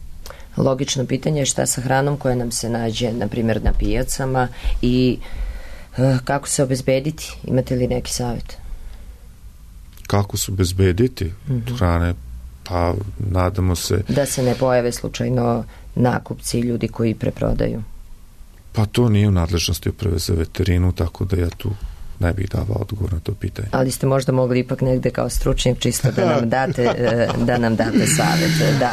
Logično pitanje je šta sa hranom koja nam se nađe, na primjer, na pijacama i uh, kako se obezbediti? Imate li neki savjet? Kako se obezbediti mm-hmm. hrane? Pa nadamo se... Da se ne pojave slučajno nakupci, ljudi koji preprodaju. Pa to nije u nadležnosti uprave za veterinu, tako da ja tu ne bih davao odgovor na to pitanje. Ali ste možda mogli ipak negde kao stručnjak čisto da nam date, da nam date savjet. Da.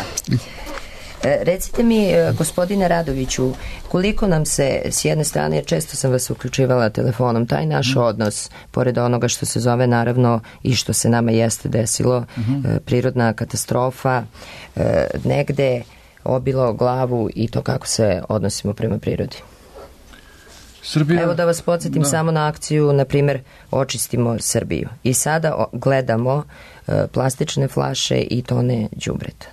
Recite mi, gospodine Radoviću, koliko nam se, s jedne strane, često sam vas uključivala telefonom, taj naš odnos, pored onoga što se zove naravno i što se nama jeste desilo, uh-huh. prirodna katastrofa, negde obilo glavu i to kako se odnosimo prema prirodi. Srbija, Evo da vas podsjetim da. samo na akciju, na primjer, Očistimo Srbiju. I sada gledamo plastične flaše i tone đubreta.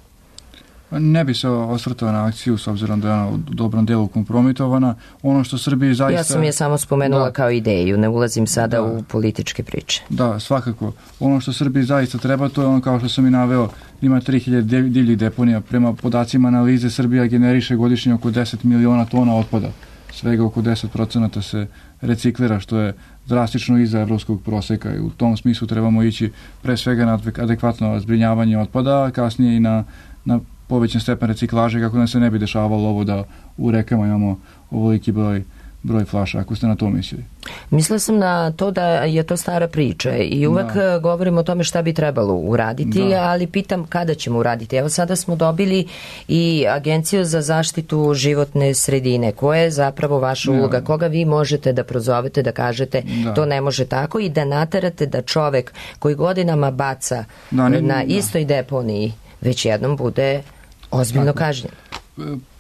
Ne bi se osvrtao na akciju s obzirom da je ona u dobrom delu kompromitovana. Ono što Srbiji zaista... Ja sam je samo spomenula da. kao ideju, ne ulazim sada da. u političke priče. Da, svakako. Ono što Srbiji zaista treba, to je ono kao što sam i naveo, ima tri hiljade divljih deponija. Prema podacima analize Srbija generiše godišnje oko deset miliona tona otpada. Svega oko deset procenata se reciklira, što je drastično iza evropskog proseka i u tom smislu trebamo ići pre svega na adekvatno zbrinjavanje otpada, a kasnije i na, na povećan stepen reciklaže kako nam se ne bi dešavalo ovo da u rekama imamo ovoliki broj broj flaša, ako ste na to mislili. Mislila sam na to da je to stara priča i uvek da. govorimo o tome šta bi trebalo uraditi, da. ali pitam kada ćemo uraditi. Evo sada smo dobili i Agenciju za zaštitu životne sredine. Koja je zapravo vaša uloga? Ja. Koga vi možete da prozovete, da kažete da. to ne može tako i da naterate da čovek koji godinama baca da, ne, na da. istoj deponiji već jednom bude ozbiljno kažnjen?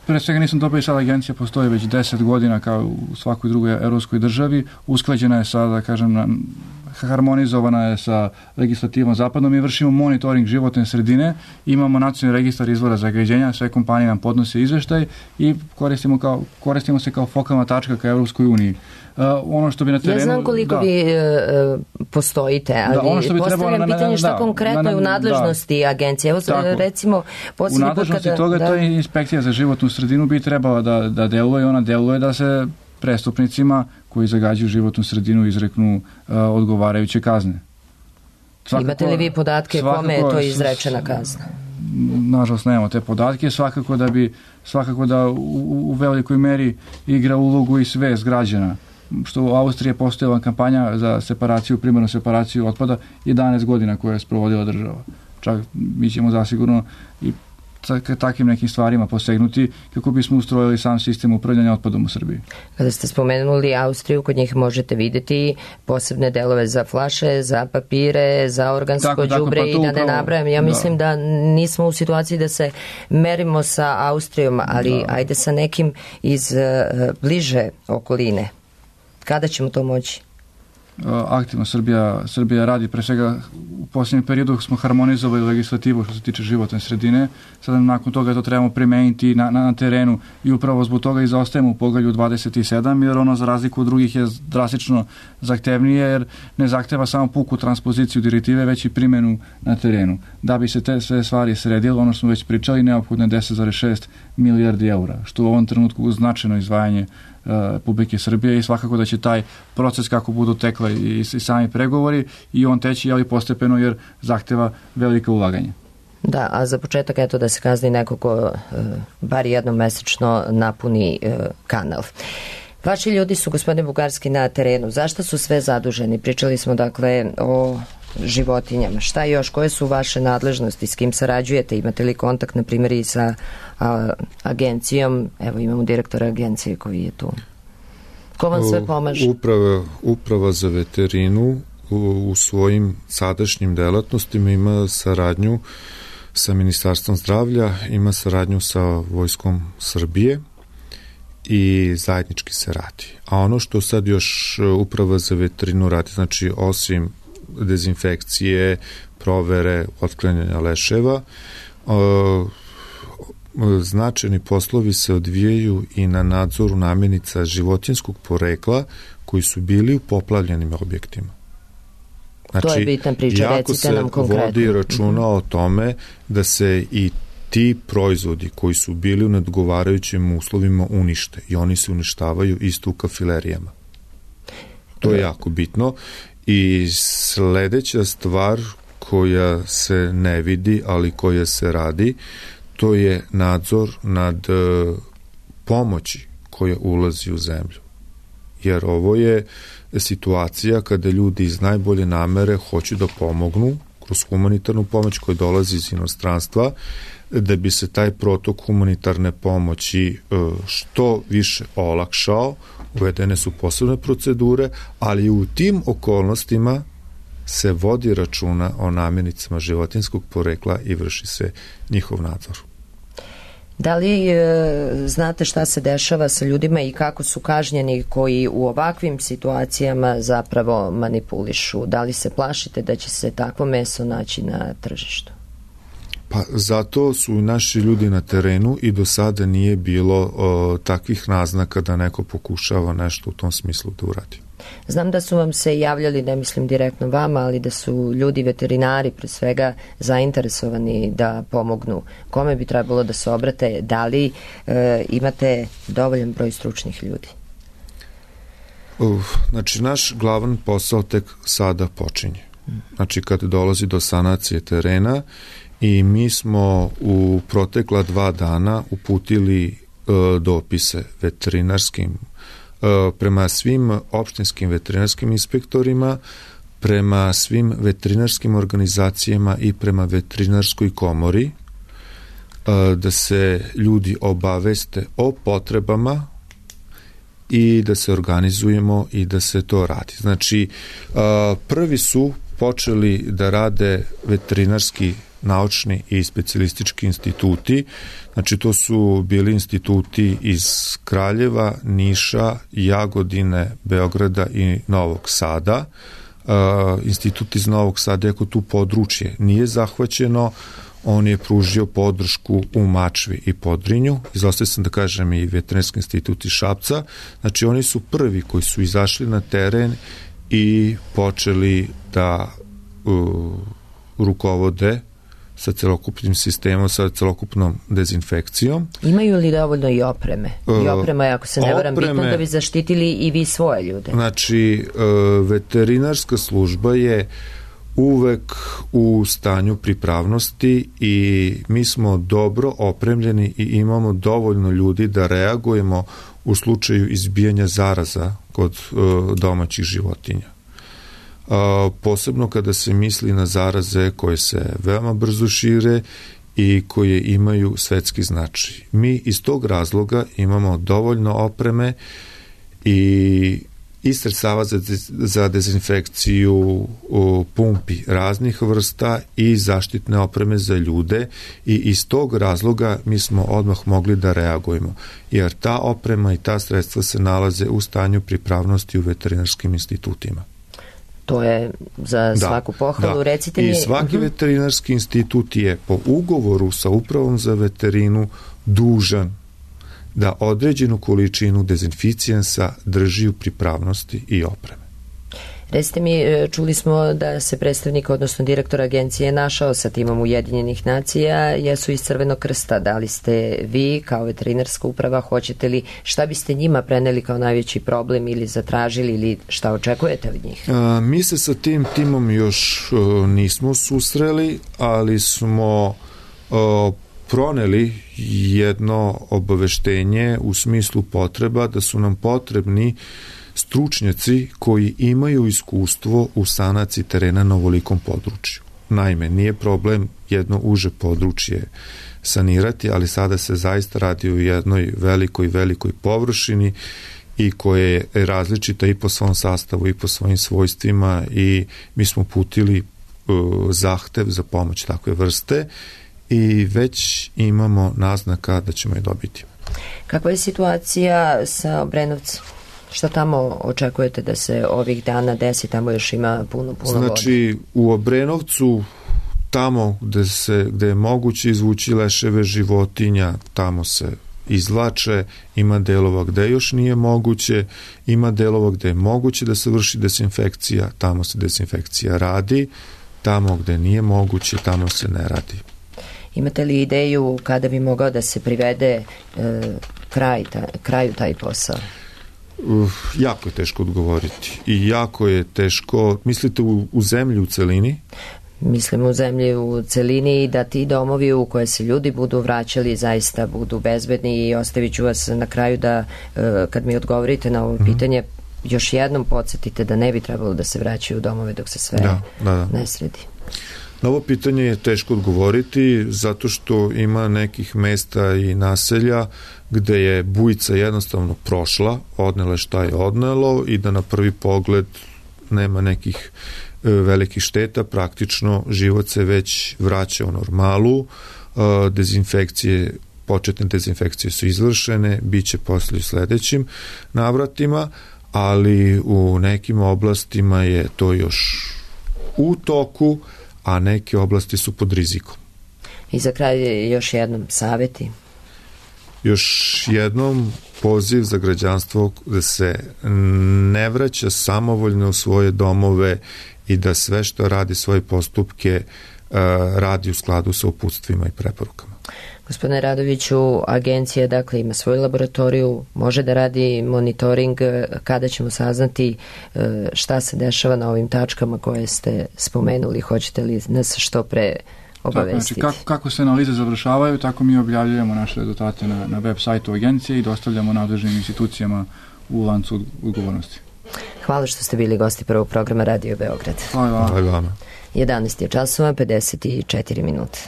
Pre svega nisam dobro i sada agencija postoji već deset godina kao u svakoj drugoj evropskoj državi, usklađena je sa, da kažem, harmonizovana je sa legislativom zapadnom. Mi vršimo monitoring životne sredine, imamo nacionalni registar izvora zagađenja, sve kompanije nam podnose izveštaj i koristimo, kao, koristimo se kao fokalna tačka ka Evropskoj uniji. Uh, ono što bi na terenu... Ja znam koliko da, vi uh, postojite, ali da, ono što bi postavljam pitanje na, na, šta da, konkretno na, na, je u nadležnosti da, agencije. Evo tako, recimo... U nadležnosti kada, toga da, to je inspekcija za životnu sredinu bi trebala da, da deluje, ona deluje da se prestupnicima koji zagađuju životnu sredinu izreknu uh, odgovarajuće kazne. Svakako, imate li vi podatke kome je to izrečena kazna? Nažalost nemamo te podatke, svakako da bi svakako da u, u velikoj meri igra ulogu i svest građana. Što u Austriji je postojala kampanja za separaciju, primarnu separaciju otpada jedanaest godina koja je sprovodila država. čak mi ćemo zasigurno i takvim nekim stvarima posegnuti kako bismo ustrojili sam sistem upravljanja otpadom u Srbiji. Kada ste spomenuli Austriju, kod njih možete vidjeti posebne delove za flaše, za papire, za organsko đubre pa i da ne nabrajam. Ja mislim da. da nismo u situaciji da se merimo sa Austrijom, ali da. ajde sa nekim iz uh, bliže okoline. Kada ćemo to moći? Aktivno Srbija, Srbija radi, pre svega u posljednjem periodu smo harmonizovali legislativu što se tiče životne sredine, sada nakon toga to trebamo primeniti na, na, na terenu i upravo zbog toga i zaostajemo u poglavlju dvadeset sedam, jer ono za razliku od drugih je drastično zahtevnije, jer ne zahteva samo puku transpoziciju direktive, već i primjenu na terenu. Da bi se te sve stvari sredilo, ono što smo već pričali, neophodno je deset zarez šest milijardi eura, što u ovom trenutku značajno izdvajanje Republike Srbije i svakako da će taj proces kako budu tekle i, i sami pregovori i on teći, ali postepeno jer zahteva velika ulaganja. Da, a za početak eto da se kazni neko ko e, bar jednom mesečno napuni e, kanal. Vaši ljudi su, gospodine Bugarski, na terenu. Zašto su sve zaduženi? Pričali smo dakle o životinjama. Šta još? Koje su vaše nadležnosti? S kim sarađujete? Imate li kontakt, na primjer, i sa a, agencijom? Evo, imamo direktora agencije koji je tu. Ko vam sve pomaže? Uprava, uprava za veterinu u, u svojim sadašnjim delatnostima ima saradnju sa Ministarstvom zdravlja, ima saradnju sa Vojskom Srbije i zajednički se radi. A ono što sad još uprava za veterinu radi, znači osim dezinfekcije, provere, otklanjanja leševa, značajni poslovi se odvijaju i na nadzoru namirnica životinjskog porekla koji su bili u poplavljenim objektima. Znači, to je bitna priča, recite nam konkretno. Jako se vodi računa o tome da se i ti proizvodi koji su bili u neodgovarajućim uslovima unište i oni se uništavaju isto u kafilerijama. To je jako bitno. I sledeća stvar koja se ne vidi, ali koja se radi, to je nadzor nad pomoći koja ulazi u zemlju. Jer ovo je situacija kada ljudi iz najbolje namere hoće da pomognu kroz humanitarnu pomoć koja dolazi iz inostranstva, da bi se taj protok humanitarne pomoći što više olakšao. Uvedene su posebne procedure, ali u tim okolnostima se vodi računa o namirnicama životinjskog porekla i vrši se njihov nadzor. Da li e, znate šta se dešava sa ljudima i kako su kažnjeni koji u ovakvim situacijama zapravo manipulišu? Da li se plašite da će se takvo meso naći na tržištu? Pa zato su i naši ljudi na terenu i do sada nije bilo o, takvih naznaka da neko pokušava nešto u tom smislu da uradi. Znam da su vam se javljali, ne mislim direktno vama, ali da su ljudi veterinari pre svega zainteresovani da pomognu. Kome bi trebalo da se obrate? Da li e, imate dovoljan broj stručnih ljudi? Uf, znači, naš glavan posao tek sada počinje. Znači, kad dolazi do sanacije terena i mi smo u protekla dva dana uputili e, dopise veterinarskim prema svim opštinskim veterinarskim inspektorima, prema svim veterinarskim organizacijama i prema veterinarskoj komori, da se ljudi obaveste o potrebama i da se organizujemo i da se to radi. Znači, prvi su počeli da rade veterinarski naučni i specijalistički instituti, znači to su bili instituti iz Kraljeva, Niša, Jagodine, Beograda i Novog Sada. Uh, institut iz Novog Sada, ako tu područje nije zahvaćeno, on je pružio podršku u Mačvi i Podrinju, izostaje sam da kažem i Veterinarski institut iz Šapca, znači oni su prvi koji su izašli na teren i počeli da uh, rukovode sa celokupnim sistemom, sa celokupnom dezinfekcijom. Imaju li dovoljno i opreme? I oprema je, ako se ne varam, bitno da bi zaštitili i vi svoje ljude. Znači, veterinarska služba je uvek u stanju pripravnosti i mi smo dobro opremljeni i imamo dovoljno ljudi da reagujemo u slučaju izbijanja zaraza kod domaćih životinja. posebno kada se misli na zaraze koje se veoma brzo šire i koje imaju svetski značaj. Mi iz tog razloga imamo dovoljno opreme i i sredstava za, za dezinfekciju, pumpi raznih vrsta i zaštitne opreme za ljude i iz tog razloga mi smo odmah mogli da reagujemo, jer ta oprema i ta sredstva se nalaze u stanju pripravnosti u veterinarskim institutima. To je za svaku da, pohvalu. Da. Recite mi... I svaki uh-huh. veterinarski institut je po ugovoru sa upravom za veterinu dužan da određenu količinu dezinficijensa drži u pripravnosti i opreme. Recite mi, čuli smo da se predstavnik, odnosno direktor agencije našao sa timom Ujedinjenih nacija, jesu iz Crvenog krsta. Da li ste vi kao veterinarska uprava, hoćete li, šta biste njima preneli kao najveći problem ili zatražili ili šta očekujete od njih? A, mi se sa tim timom još a, nismo susreli, ali smo a, proneli jedno obaveštenje u smislu potreba da su nam potrebni stručnjaci koji imaju iskustvo u sanaciji terena na ovolikom području. Naime, nije problem jedno uže područje sanirati, ali sada se zaista radi o jednoj velikoj, velikoj površini i koje je različita i po svom sastavu i po svojim svojstvima i mi smo putili uh, zahtev za pomoć takve vrste i već imamo naznaka da ćemo je dobiti. Kakva je situacija sa Obrenovcem? Šta tamo očekujete da se ovih dana desi? Tamo još ima puno, puno vode. Znači, u Obrenovcu, tamo gde, se, gde je moguće izvući leševe životinja, tamo se izvlače, ima delova gde još nije moguće, ima delova gde je moguće da se vrši dezinfekcija, tamo se dezinfekcija radi, tamo gde nije moguće, tamo se ne radi. Imate li ideju kada bi mogao da se privede e, kraj, ta, kraju taj posao? Uh, jako je teško odgovoriti i jako je teško, mislite u, u zemlji u celini? Mislim u zemlji u celini i da ti domovi u koje se ljudi budu vraćali zaista budu bezbedni i ostavit ću vas na kraju da e, kad mi odgovorite na ovo mm-hmm. pitanje još jednom podsjetite da ne bi trebalo da se vraćaju u domove dok se sve da, da, da. ne sredi. Na ovo pitanje je teško odgovoriti zato što ima nekih mesta i naselja gde je bujica jednostavno prošla, odnela šta je odnelo i da na prvi pogled nema nekih e, velikih šteta, praktično život se već vraća u normalu, e, dezinfekcije, početne dezinfekcije su izvršene, bit će posle u sledećim navratima, ali u nekim oblastima je to još u toku, a neke oblasti su pod rizikom. I za kraj još jednom saveti. Još jednom poziv za građanstvo da se ne vraća samovoljno u svoje domove i da sve što radi svoje postupke radi u skladu sa uputstvima i preporukama. Gospodine Radoviću, agencija dakle ima svoju laboratoriju, može da radi monitoring, kada ćemo saznati šta se dešava na ovim tačkama koje ste spomenuli, hoćete li nas što pre obavestiti? Tako, znači, kako, kako se analize završavaju, tako mi objavljujemo naše rezultate na, na web sajtu agencije i dostavljamo nadležnim institucijama u lancu odgovornosti. Hvala što ste bili gosti prvog programa Radio Beograd. Hvala, Hvala vama. jedanaest je časova, pedeset četiri minute.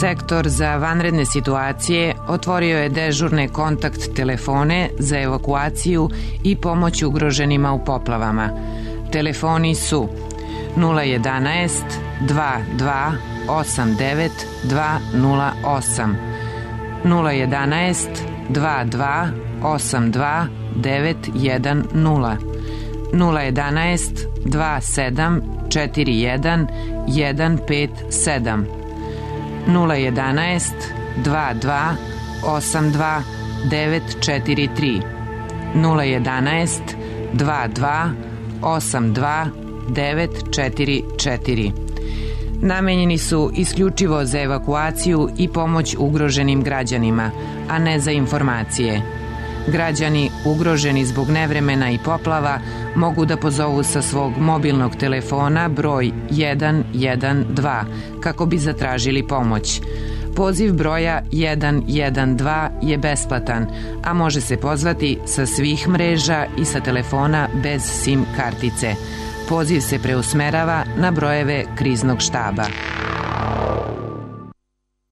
Sektor za vanredne situacije otvorio je dežurne kontakt telefone za evakuaciju i pomoć ugroženima u poplavama. Telefoni su nula jedanaest dva dva osam devet dva nula osam, nula jedanaest dva dva osam dva devet jedan nula, nula jedanaest dva sedam četiri jedan jedan pet sedam, nula jedanaest dva dva osam dva devet četiri tri, nula jedanaest dva dva osam dva devet četiri četiri. Namenjeni su isključivo za evakuaciju i pomoć ugroženim građanima, a ne za informacije. Građani ugroženi zbog nevremena i poplava mogu da pozovu sa svog mobilnog telefona broj jedan jedan dva kako bi zatražili pomoć. Poziv broja jedan jedan dva je besplatan, a može se pozvati sa svih mreža i sa telefona bez SIM kartice. Poziv se preusmerava na brojeve kriznog štaba.